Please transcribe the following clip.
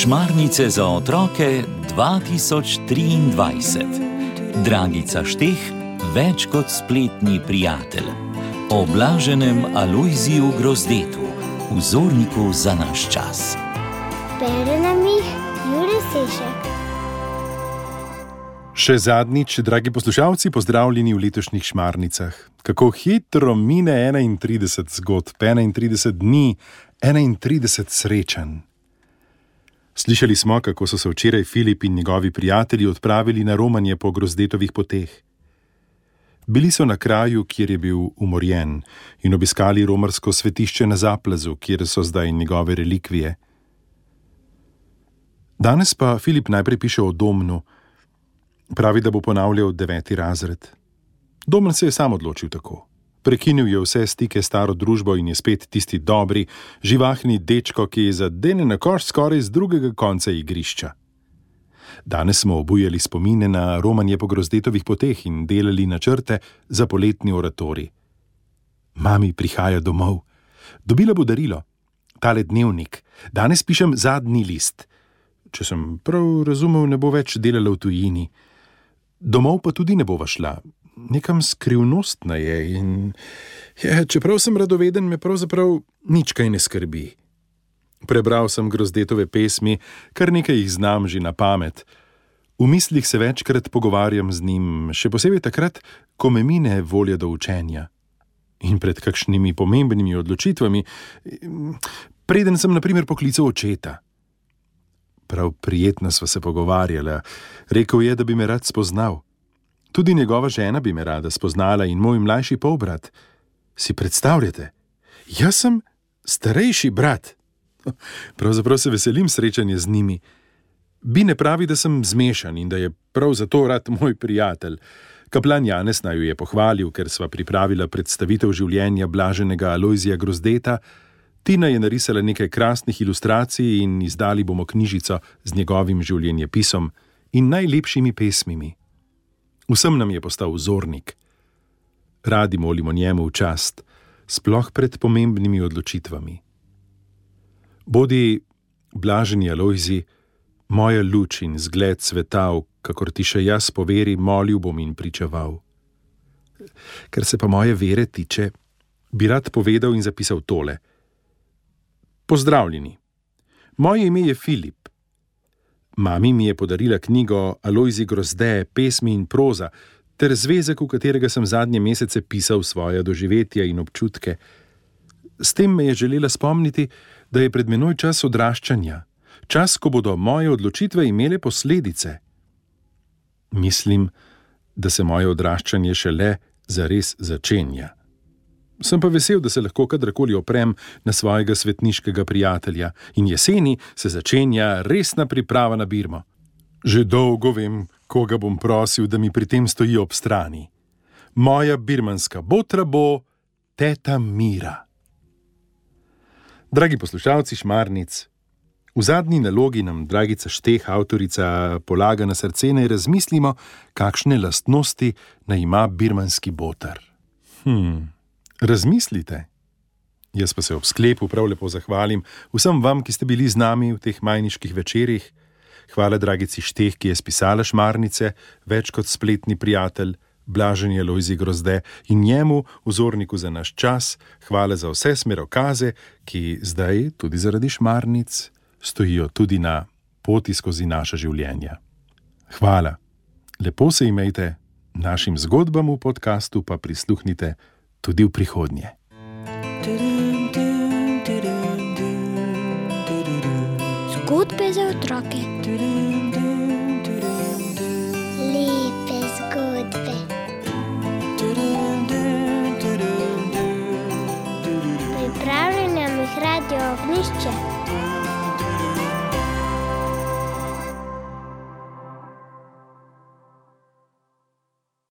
Šmarnice za otroke 2023. Dragica Šteh, več kot spletni prijatelj. O blaženem Alojziju Grozdetu, vzorniku za naš čas. Bere nam jih Jure Sešek. Še zadnjič, dragi poslušalci, pozdravljeni v letošnjih Šmarnicah. Kako hitro mine 31 zgodb, 31 dni, 31 srečanj. Slišali smo, kako so se včeraj Filip in njegovi prijatelji odpravili na romanje po Grozdetovih poteh. Bili so na kraju, kjer je bil umorjen, in obiskali romarsko svetišče na Zaplazu, kjer so zdaj njegove relikvije. Danes pa Filip najprej piše o Domnu. Pravi, da bo ponavljal 9. razred. Domen se je sam odločil tako. Prekinil je vse stike s staro družbo in je spet tisti dobri, živahni dečko, ki je zadene na koš skoraj z drugega konca igrišča. Danes smo obujali spomine na romanje po Grozdetovih poteh in delali načrte za poletni oratorij. Mami prihaja domov. Dobila bo darilo. Tale dnevnik. Danes pišem zadnji list. Če sem prav razumel, ne bo več delala v tujini. Domov pa tudi ne bova šla. Nekam skrivnostna je in čeprav sem radoveden, me pravzaprav nič kaj ne skrbi. Prebral sem Grozdetove pesmi, kar nekaj jih znam že na pamet. V mislih se večkrat pogovarjam z njim, še posebej takrat, ko me mine volja do učenja. In pred kakšnimi pomembnimi odločitvami, preden sem na primer poklical očeta. Prav prijetno sva se pogovarjala. Rekel je, da bi me rad spoznal. Tudi njegova žena bi me rada spoznala in moj mlajši polbrat. Si predstavljate? Jaz sem starejši brat. Pravzaprav se veselim srečanja z njimi. Bine pravi, da sem zmešan in da je prav zato rad moj prijatelj. Kaplan Janez naju je pohvalil, ker sva pripravila predstavitev življenja blaženega Alojzija Grozdeta. Tina je narisala nekaj krasnih ilustracij in izdali bomo knjižico z njegovim življenjepisom in najlepšimi pesmimi. Vsem nam je postal vzornik. Radi molimo njemu v čast, sploh pred pomembnimi odločitvami. Bodi, blaženi Alojzi, moja luč in zgled sveta, kakor ti še jaz po veri molil bom in pričeval. Ker se pa moje vere tiče, bi rad povedal in zapisal tole. Pozdravljeni. Moje ime je Filip. Mami mi je podarila knjigo Alojzij Grozde, pesmi in proza, ter zvezek, v katerega sem zadnje mesece pisal svoja doživetja in občutke. S tem me je želela spomniti, da je pred menoj čas odraščanja, čas, ko bodo moje odločitve imele posledice. Mislim, da se moje odraščanje šele zares začenja. Sem pa vesel, da se lahko kadarkoli oprem na svojega svetniškega prijatelja in jeseni se začenja resna priprava na birmo. Že dolgo vem, koga bom prosil, da mi pri tem stoji ob strani. Moja birmanska botra bo teta Mira. Dragi poslušalci Šmarnic, v zadnji nalogi nam Dragica Šteh, avtorica, polaga na srce, naj razmislimo, kakšne lastnosti naj ima birmanski boter. Razmislite. Jaz pa se ob sklepu prav lepo zahvalim vsem vam, ki ste bili z nami v teh majniških večerih. Hvala Dragici Šteh, ki je spisala Šmarnice, več kot spletni prijatelj, blaženi Alojzij Grozde in njemu, vzorniku za naš čas. Hvala za vse smerokaze, ki zdaj, tudi zaradi Šmarnic, stojijo tudi na poti skozi naša življenja. Hvala. Lepo se imejte, našim zgodbam v podkastu pa prisluhnite tudi v prihodnje. Zgodbe za otroke. Lepe zgodbe. Pripravljeno jih Radio Ognjišče.